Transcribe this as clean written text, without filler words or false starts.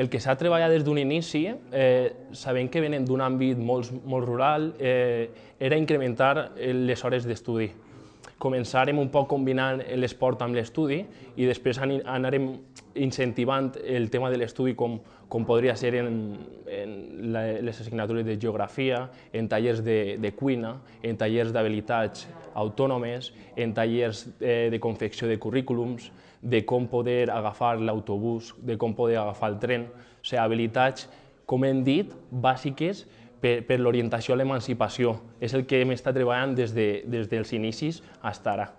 El que s'ha treballat des d'un inici, sabent que venen d'un àmbit molt rural, era incrementar les hores d'estudi. Començarem un poc combinant l'esport amb l'estudi i després anarem incentivant el tema de l'estudi com podria ser en les assignatures de geografia, en tallers de cuina, en tallers d'habilitats autònomes, en tallers de confecció de currículums, de com poder agafar l'autobús, de com poder agafar el tren, o sigui, habilitats, com hem dit, bàsiques per l'orientació a l'emancipació. És el que hem estat treballant des dels inicis fins ara.